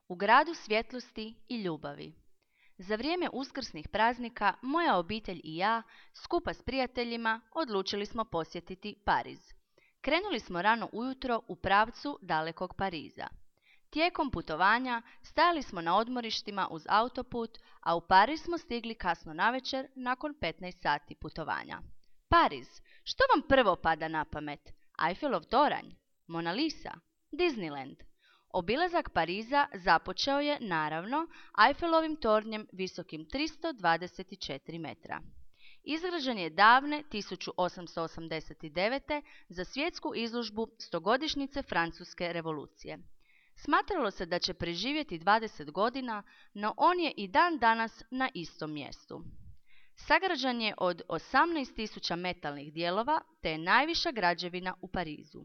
u gradu svjetlosti i ljubavi. Za vrijeme uskrsnih praznika moja obitelj i ja, skupa s prijateljima, odlučili smo posjetiti Pariz. Krenuli smo rano ujutro u pravcu dalekog Pariza. Tijekom putovanja stajali smo na odmorištima uz autoput, a u Pariz smo stigli kasno navečer nakon 15 sati putovanja. Pariz, što vam prvo pada na pamet? Eiffelov toranj? Mona Lisa? Disneyland? Obilazak Pariza započeo je, naravno, Eiffelovim tornjem visokim 324 metra. Izgrađen je davne 1889. za svjetsku izložbu stogodišnjice Francuske revolucije. Smatralo se da će preživjeti 20 godina, no on je i dan danas na istom mjestu. Sagrađen je od 18.000 metalnih dijelova, te je najviša građevina u Parizu.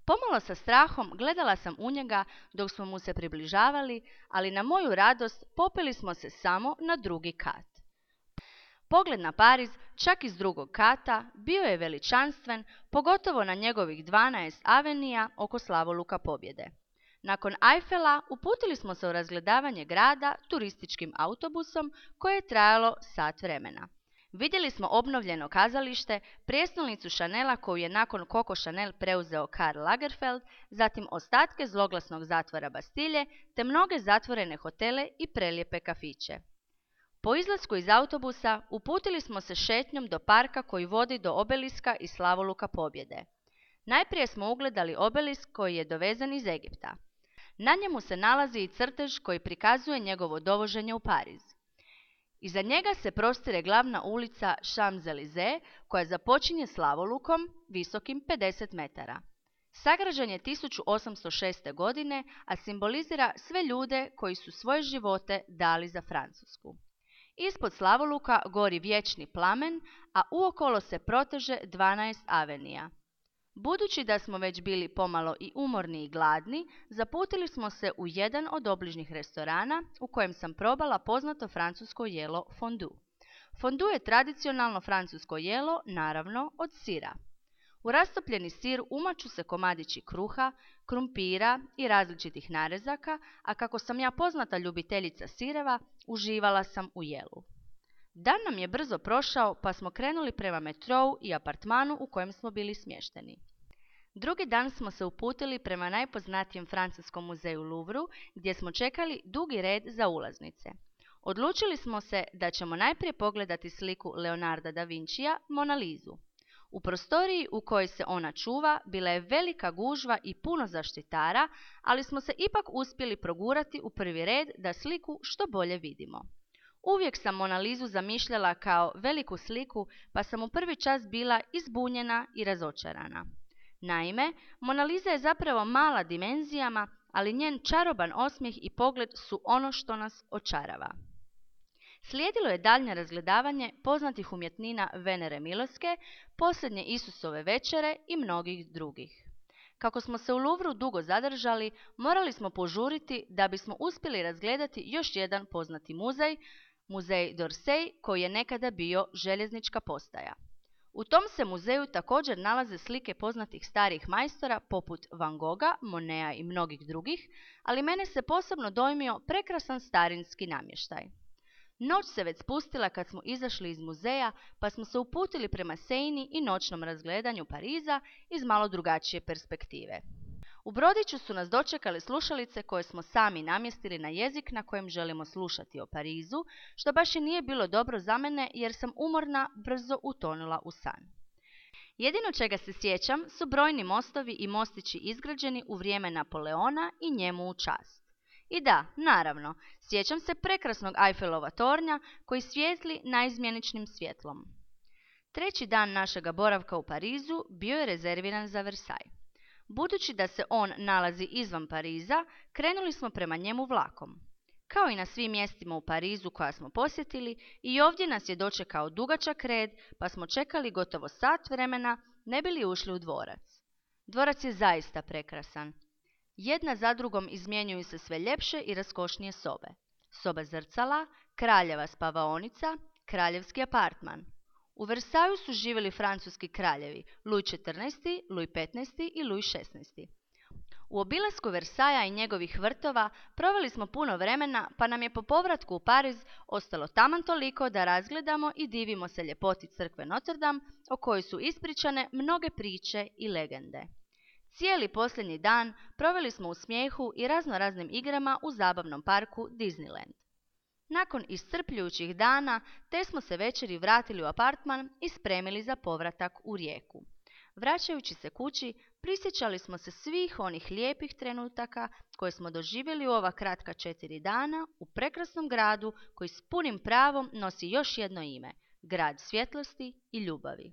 Pomalo sa strahom gledala sam u njega dok smo mu se približavali, ali na moju radost popeli smo se samo na drugi kat. Pogled na Pariz, čak iz drugog kata, bio je veličanstven, pogotovo na njegovih 12 avenija oko slavoluka Pobjede. Nakon Eiffela uputili smo se u razgledavanje grada turističkim autobusom koje je trajalo sat vremena. Vidjeli smo obnovljeno kazalište, prijestolnicu Chanela koju je nakon Coco Chanel preuzeo Karl Lagerfeld, zatim ostatke zloglasnog zatvora Bastilje, te mnoge zatvorene hotele i prelijepe kafiće. Po izlasku iz autobusa uputili smo se šetnjom do parka koji vodi do obeliska i slavoluka Pobjede. Najprije smo ugledali obelisk koji je dovezen iz Egipta. Na njemu se nalazi i crtež koji prikazuje njegovo dovoženje u Pariz. Iza njega se prostire glavna ulica Champs-Élysées koja započinje slavolukom visokim 50 metara. Sagrađen je 1806. godine, a simbolizira sve ljude koji su svoje živote dali za Francusku. Ispod slavoluka gori vječni plamen, a uokolo se proteže 12 avenija. Budući da smo već bili pomalo i umorni i gladni, zaputili smo se u jedan od obližnjih restorana u kojem sam probala poznato francusko jelo fondue. Fondue je tradicionalno francusko jelo, naravno od sira. U rastopljeni sir umaču se komadići kruha, krumpira i različitih narezaka, a kako sam ja poznata ljubiteljica sireva, uživala sam u jelu. Dan nam je brzo prošao, pa smo krenuli prema metrou i apartmanu u kojem smo bili smješteni. Drugi dan smo se uputili prema najpoznatijem francuskom muzeju Louvru, gdje smo čekali dugi red za ulaznice. Odlučili smo se da ćemo najprije pogledati sliku Leonarda da Vincija, Mona Lisu. U prostoriji u kojoj se ona čuva bila je velika gužva i puno zaštitara, ali smo se ipak uspjeli progurati u prvi red da sliku što bolje vidimo. Uvijek sam Mona Lisu zamišljala kao veliku sliku, pa sam u prvi čas bila izbunjena i razočarana. Naime, Mona Lisa je zapravo mala dimenzijama, ali njen čaroban osmijeh i pogled su ono što nas očarava. Slijedilo je daljnje razgledavanje poznatih umjetnina Venere Miloske, posljednje Isusove večere i mnogih drugih. Kako smo se u Louvru dugo zadržali, morali smo požuriti da bismo uspjeli razgledati još jedan poznati muzej, muzej d'Orsay, koji je nekada bio željeznička postaja. U tom se muzeju također nalaze slike poznatih starih majstora poput Van Gogha, Moneta i mnogih drugih, ali mene se posebno dojmio prekrasan starinski namještaj. Noć se već spustila kad smo izašli iz muzeja, pa smo se uputili prema Seini i noćnom razgledanju Pariza iz malo drugačije perspektive. U brodiću su nas dočekale slušalice koje smo sami namjestili na jezik na kojem želimo slušati o Parizu, što baš i nije bilo dobro za mene jer sam umorna brzo utonula u san. Jedino čega se sjećam su brojni mostovi i mostići izgrađeni u vrijeme Napoleona i njemu u čast. I da, naravno, sjećam se prekrasnog Eiffelova tornja koji svijetli naizmjeničnim svjetlom. Treći dan našega boravka u Parizu bio je rezerviran za Versailles. Budući da se on nalazi izvan Pariza, krenuli smo prema njemu vlakom. Kao i na svim mjestima u Parizu koja smo posjetili, i ovdje nas je dočekao dugačak red, pa smo čekali gotovo sat vremena ne bi li ušli u dvorac. Dvorac je zaista prekrasan. Jedna za drugom izmjenjuju se sve ljepše i raskošnije sobe. Soba zrcala, kraljeva spavaonica, kraljevski apartman. U Versaillesu su živjeli francuski kraljevi Louis XIV, Louis XV i Louis XVI. U obilasku Versaja i njegovih vrtova proveli smo puno vremena, pa nam je po povratku u Pariz ostalo taman toliko da razgledamo i divimo se ljepoti crkve Notre Dame, o kojoj su ispričane mnoge priče i legende. Cijeli posljednji dan proveli smo u smijehu i raznoraznim igrama u zabavnom parku Disneyland. Nakon iscrpljujućih dana, te smo se večeri vratili u apartman i spremili za povratak u Rijeku. Vraćajući se kući, prisjećali smo se svih onih lijepih trenutaka koje smo doživjeli u ova kratka 4 dana u prekrasnom gradu koji s punim pravom nosi još jedno ime, grad svjetlosti i ljubavi.